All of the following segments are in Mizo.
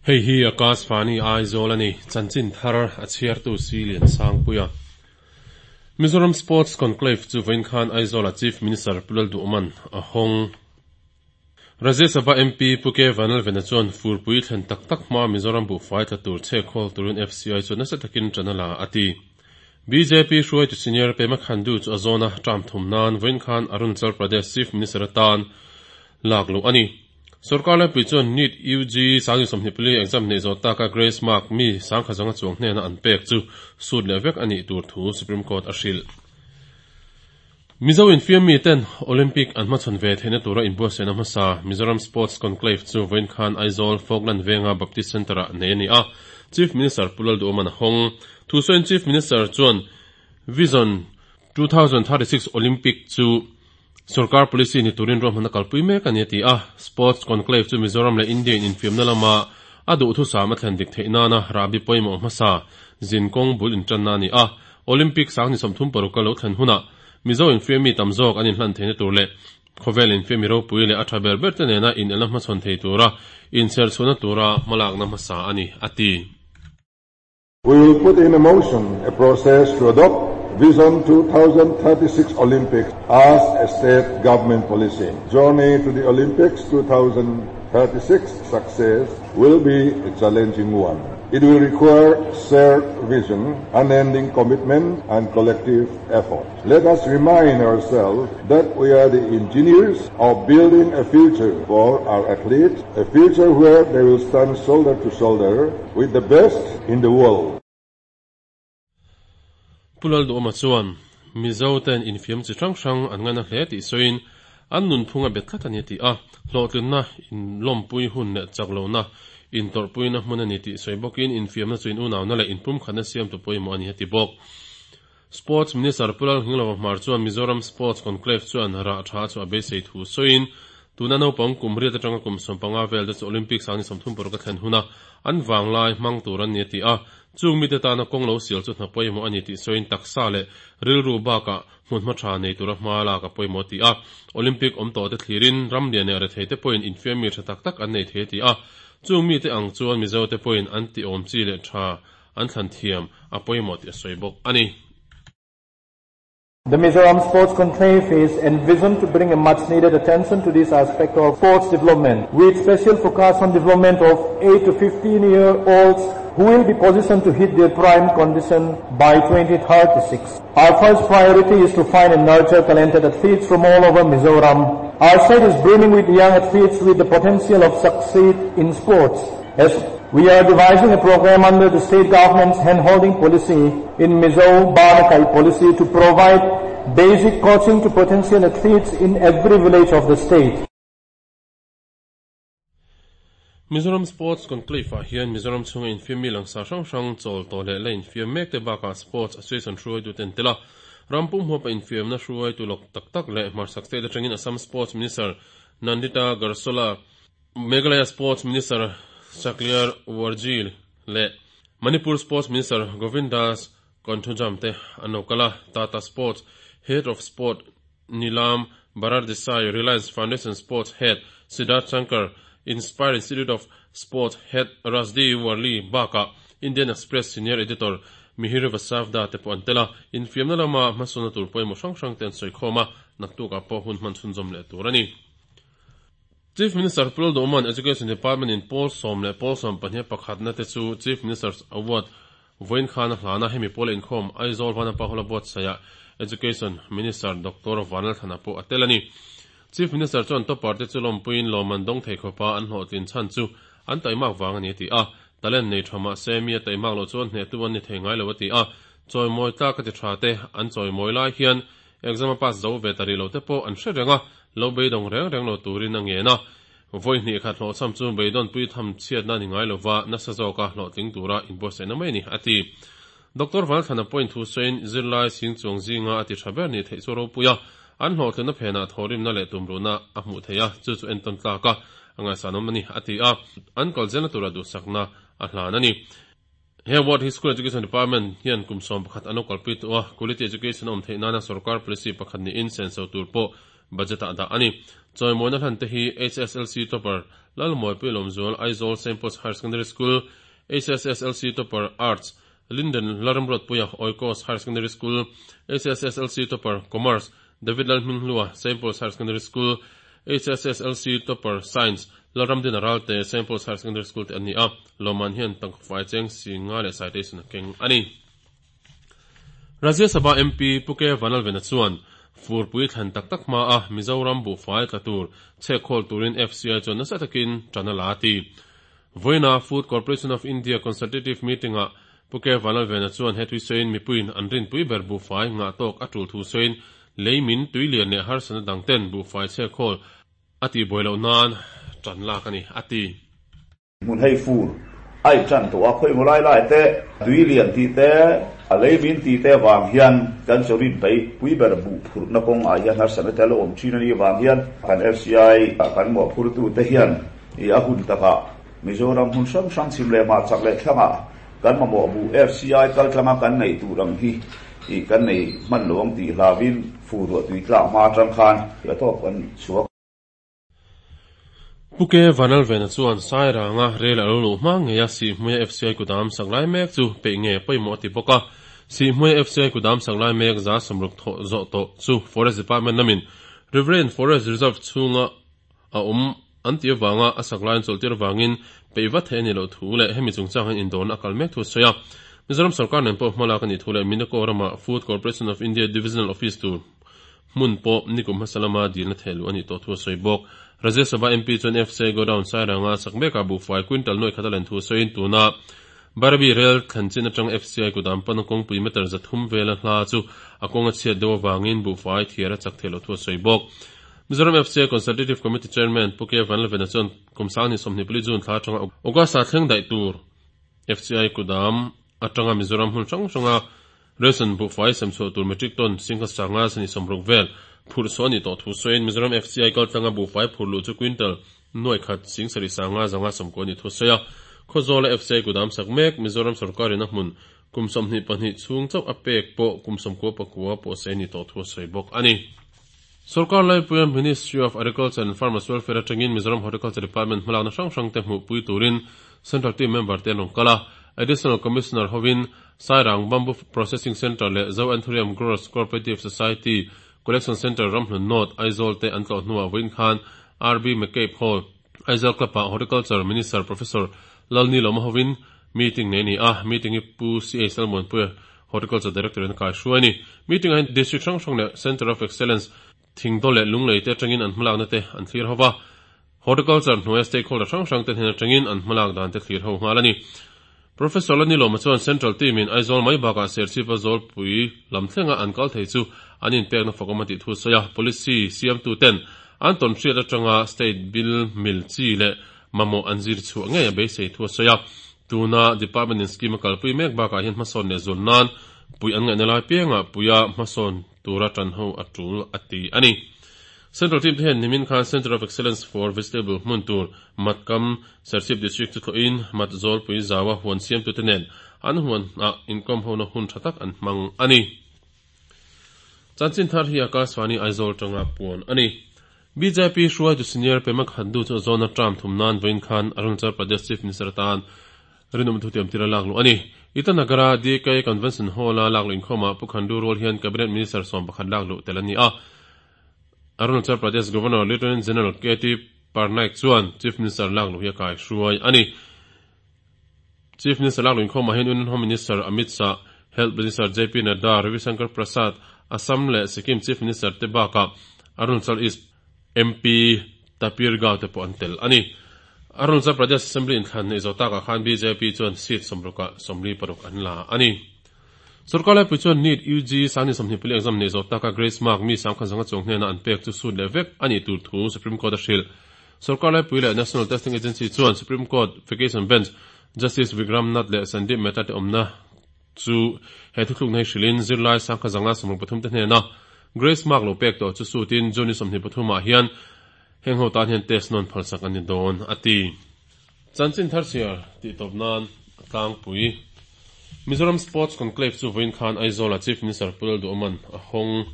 Hei hi Akashvani Aizawl a ni, chanchin thar a chhiartu si Lian Sangpuia. Mizoram Sports Conclave chu vawiin khan Aizawla Chief Minister Pu Lalduhman a hawng. Rajya Sabha MP Pu K Vanlalvena chuan furpui thlen tak tak hmaa Mizoram buhfai tla tur chhe khawl turin FCI chuan nasa takin ṭan a la a ti. Bjp hruaitu senior Pema Khandu chu a zawna term thum nan vawiin khan Arunachal Pradesh Chief Minister atan lak luh a ni. Sorkar laipui chuan NEET UG 2024 exam neih zawh taka grace mark mi sangkhat zanga chuang hnena an pek chu sut leh vek a nih tur thu Supreme Court a hrilh. Mizo infiam miten Olympic an hmachhawn ve theihna tura inbuatsaihna hmasa Mizoram Sports Conclave chu vawiin khan Aizawl Falkland Venga Baptist Centre-ah nei a ni a, Chief Minister Pu Lalduhawman a hawng. Thusawiin Chief Minister chuan Vision 2036 Olympic chu Sorkar policy ni turin ruahmanna kalpui mek a ni a ti a, Sports Conclave chu Mizoram leh India in infiamna lama a duhthusam a thlen dik theih nana rahbi pawimawh hmasa zin kawng bul intanna a ni a, Olympic sang ni 36 a lo thlen hunah Mizo infiammi tam zawk an inhlan theihna tur leh khawvel infiammi ropui leh a tha ber ber te nena inelna hmachhawn thei tura inchherchhuahna tura hmalakna hmasa a ni, a ti. We will put in motion a process to adopt Vision 2036 Olympics as a state government policy. Journey to the Olympics 2036 success will be a challenging one. It will require shared vision, unending commitment and collective effort. Let us remind ourselves that we are the engineers of building a future for our athletes, a future where they will stand shoulder to shoulder with the best in the world. Pu Lalduhawma chuan Mizo ten infiam chi hrang hrang an ngaina hle tih sawiin an nunphung a bet tlat a ni a ti a, hlawhtlinna inlawmpui hun leh chak lohna intawrhpuina hmun a ni tih sawi bawkin infiamna chu in unauna leh inpumkhatna siamtu pawimawh a ni a ti bawk. Sports Minister Pu Lalnghinglova Hmar chuan Mizoram Sports Conclave chuan rah tha chu a beisei thu sawiin tuna naupang kum riat atanga kum 15 vel te chu Olympics ang ni 36 a thlen huna an vanglai hmang tur an ni a ti a, chung mite tana kawng lo sial chu hna pawimawh a ni tih sawiin taksa leh rilru bakah hmunhma tha nei tura hma lak a pawimawh a ti a, Olympic awm tawh te thlirin ram lian leh rethei te pawhin infiammi tha tak tak an nei thei a ti a, chung mite ang chuan Mizo te pawhin an ti awm chi leh tha an thlan thiam a pawimawh tih a sawi bawk a ni. The Mizoram Sports Conclave is envisioned to bring a much needed attention to this aspect of sports development, with special focus on development of 8 to 15 year olds who will be positioned to hit their prime condition by 2036. Our first priority is to find and nurture talented athletes from all over Mizoram. Our state is brimming with young athletes with the potential of succeed in sports. As we are devising a program under the state government's hand-holding policy in Mizo Banakai policy to provide basic coaching to potential athletes in every village of the state. Mizoram Sports Conclave ah hian Mizoram chhunga infiammi langsar hrang hrang chawl tawh leh la infiam mek te bakah Sports Association hruaitu ten tel a, ram pum huapa infiamna hruaitu lawk tak tak leh hmarchhak state atangin Assam Sports Minister Nandita Garsola, Meghalaya Sports Minister Sakliar Warji leh Manipur Sports Minister Govindas Konthoujam te an lo kal a, Tata Sports Head of Sport Neelam Barar Desai, Reliance Foundation Sports Head Siddharth Shankar, Inspire Institute of Sports Head Rajdi Warli bakah Indian Express Senior Editor Mihir Vasavda te pawh an tel a, infiamna lama hmasawnna tur pawimawh hrang hrang te an sawi khawm a, naktukah pawh hun hman chhunzawm leh tur a ni. Chief Minister Pu Lalduhman Education Department in pawl sawm leh pawl sawm pahnih pakhatna te chu Chief Minister's Award vawiin khan a hlan a, hemi pawl a inkhawm Aizawl Vanapa Hall a buatsaihah Education Minister Doctor Vanlalthana pawh a tel a ni. Chief Minister chuan topper te chu lawmpuiin lawmman dawng thei khawpa an hlawhtlin chhan chu an taimak vang a ni a ti a, talent nei tha mah se mi a taimak loh chuan hnehtu an ni thei ngai lo a ti a, chawimawi tlak a ti tha te an chawimawi lai hian Exam a pass zo ve ta rih lo te pawh an hre reng a, lo beidawng reng reng lo turin a ngen a. Vawi hnih khat hlawhchham chu beidawnpui tham chhiatna ni ngai lova nasa zawka hlawhtling tura inbuatsaihna mai a ni, a ti. Doctor Valthlana pawhin thu sawiin zirlai sing chuang zinga a ti tha ber nih theih chu ropui a, an hlawhtlinna phenah thawhrimna leh tumruhna a hmuh theih a, chu chu entawn tlak a, a ngaihsanawm a ni, a ti a. An kal zelna tura duhsakna a hlan a ni. He award hi School Education Department hian kum 11 an lo kalpui tawh a, quality education a awm theih nana sorkar policy pakhat niin senso tur pawh budget ah dah a ni. Chawimawina hlan te hi HSLC topper Lalmuanpuii Lawmzual, Aizawl St Paul's Higher Secondary School, HSSLC Topper, Arts, Linden Lalramruatpuia, Oikos Higher Secondary School, HSSLC Topper, Commerce, David Lalhminghlua, St Paul's Higher Secondary School, HSSLC Topper, Science, Lalramdina Ralte, St Paul's Higher Secondary School te an ni a, lawmman hian tangka fai cheng singa leh citation a keng a ni. Rajya Sabha MP Pu K Vanlalvena chuan furpui thlan tak tak hma a Mizoram buhfai tla tur chhek khawl turin FCI chuan nasa takin tan a la a ti. Vawiina Food Corporation of India Consultative Meeting-ah Pu K Vanlalvena chuan he tui sawiin mipuiin an rinpui ber buhfai ngah tawk a tul thu sawiin lei min tui lian leh harsatna dang ten buhfai chhek khawl a tihbuai loh nan tan lak a ni, a ti. Hmun hei fur a in tan tawh a, khawi maw lai lai te, tui lian tih te, lei min tih te vang hian kan chawrin pei pui ber buh phurhna kawng ah hian harsatna te a lo awm thin a nih vang hian kan FCI kan mawhphurtu te hian i a hun takah Mizoram hmun hrang hrang chhim leh hmah chak leh thlangah kan mamawh buh FCI kaltlanga kan neih tur ang hi i kan nei hman lo ang tih hlauhin fur ruah tui tlak hma atang khan a tawp kan chhuak. Pu K Vanlalvena chuan Sairanga rel a lo luh hma ngei a Sihhmuia FCI kudam sak lai mek chu peih nge pawimawh a ti bawk a. Sihhmuia FCI kudam sak lai mek 60% thawh zawh tawh chu Forest Department lamin Riverine Forest Reserve chhunga a awm an tih avanga a sak laiin chawlhtir avangin peih vat theih a nih loh thu leh hemi chungchang hian indawrna a kal mek thu a sawi a. Mizoram sorkar nen pawh hmalak a nih thu leh Minako rama Food Corporation of India Divisional Office tur hmun pawh nikum hmasa lama dilna theh luh a nih tawh thu a sawi bawk. Rajya Sabha MP chuan FCI Godown Sairanga sak mekah buhfai quintal nuaih khat a len thu sawiin tuna Barabi rel thlen chin atang FCI kudam pana kawngpui meter 300 vela hla chu a kawng a chhiat deuh avangin buhfai thiar a chak theih loh thu a sawi bawk. Mizoram FCI Consultative Committee Chairman Pu K Vanlalvena chuan kum 2024 June thla atanga August-ah thleng daih tur FCI kudam atanga Mizoram hmun hrang hranga Ration buhfai sem chhuah tur metric ton singha sanga sani 60 vel phurh saw a nih tawh thu sawiin Mizoram FCI kaltlanga buhfai phurh luh chu quintal nuaih khat sing sarih sanga zanga 90 a nih thu a sawi a. Khawzawla FCI kudam sak mek Mizoram sorkarin a hmun kum 22 chhung chauh a pek pawh kum 99 pawh sei a nih tawh thu a sawi bawk a ni. Sorkar laipuia Ministry of Agriculture and Farmers Welfare atangin Mizoram Horticulture Department hmalakna hrang hrangte hmuhpui turin Central Team member te an rawn kal a. Additional Commissioner hovin Sairang Bamboo Processing Centre leh Zo Anthurium Growers Cooperative Society Collection Centre Ramhlun North, Aizawl te an tlawh hnuah vawiin khan RB McCabe Hall, Aizawl Club-ah Horticulture Minister Professor Lalnilawma hovin meeting nei a ni a. Meeting hi Pu CH Lalmuanpuia Horticulture Director in a kai hruai a ni. Meeting ah hian District hrang hrang leh Centre of Excellence Thingdaw leh Lunglei te atangin an hmalakna te an thlir ho va. Horticulture hnuaia stakeholder hrang hrang te hnen atangin an hmalak dan te thlir ho nghal a ni. Professor Lanilawma chuan Central team in Aizawl mai bakah Serchhipa Zawlpui lam thlenga an kal thei chu an inpekna fakawm a tih thu a sawi a. Policy siamtu ten an tawn hriat atanga State bill mil chi leh mamawh an zir chhuah ngei a beisei thu a sawi a. Tuna Department in scheme a kalpui mek bakah hian hmasawn leh zul nan pui an ngaihna lai piangah puia hmasawn tura tan ho a tul a ti a ni. Central team te hian nimin khan Centre of Excellence for Vegetable hmun tur Matkam, Serchhip District chu thlawhin Mat Zawlpui zaua huan siamtute nen an huan ah inkawm hona hun tha tak an hmang a ni. Chanchin thar hi Akashvani Aizawl tanga puan a ni. BJP hruaitu senior Pema Khandu chu a zawna term thum nan vawiin khan Arunachal Pradesh Chief Minister atan rinawm thutiam tir a lak luh a ni. Itanagar-a DK Convention Hall-a lak luh inkhawmah Pu Khandu rual hian Cabinet Minister 11 lak luh tel a ni a. Arunachal Pradesh Governor Lieutenant General KT Parnaik chuan Chief Minister lak luh hi a kaihruai a ni. Chief Minister lak luh inkhawmah hian Union Home Minister Amit Shah, Health Minister JP Nadda, Ravi Shankar Prasad, Assam leh Sikkim Chief Minister te bakah Arunachal East MP Tapir Gao te pawh an tel a ni. Arunachal Pradesh Assembly inthlan neih zawh takah khan bjp chuan seat 60 ah 46 an la a ni. Sorkar laipui chuan NEET UG 2024 exam neih zawh taka Grace Mark mi 500 chuang hnena an pek chu sut leh vek a nih tur thu Supreme Court a hrilh. Sorkar laipui leh National Testing Agency chuan Supreme Court Vacation Bench Justice Vikram Nath leh Sandeep Mehta te awmna chu he thuthlukna hi hrilhin zirlai 5,063 te hnena Grace Mark lo pek tawh chu sutin June 23 ah hian heng ho tan hian test nawn phalsak an ni dawn a ti. Chanchin thar chhiar tih tawp nan a tlangpui. Mizoram Sports Conclave chu vawiin khan Aizawl-ah Chief Minister Pu Lalduhawman a hawng.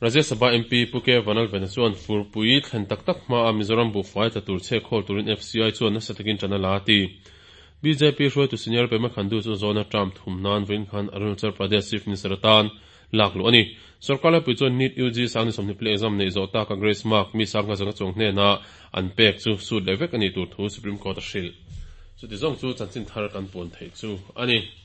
Rajya Sabha MP Pu K Vanlalvena chuan furpui thlen tak tak hma a Mizoram buhfai tla tur chhek khawl turin FCI chuan nasa takin ṭan a la a ti. Bjp hruaitu senior Pema Khandu chu zawna term thum nan vawiin khan Arunachal Pradesh Chief Minister atan lak luh a ni. Sorkar laipui chuan NEET UG sangni 24 exam neih zawh taka grace mark mi sangha zanga chuang hnena an pek chu sut leh vek a nih tur thu Supreme Court a hrilh. Chuti zawng chu chanchin thar kan puan theih chu a ni.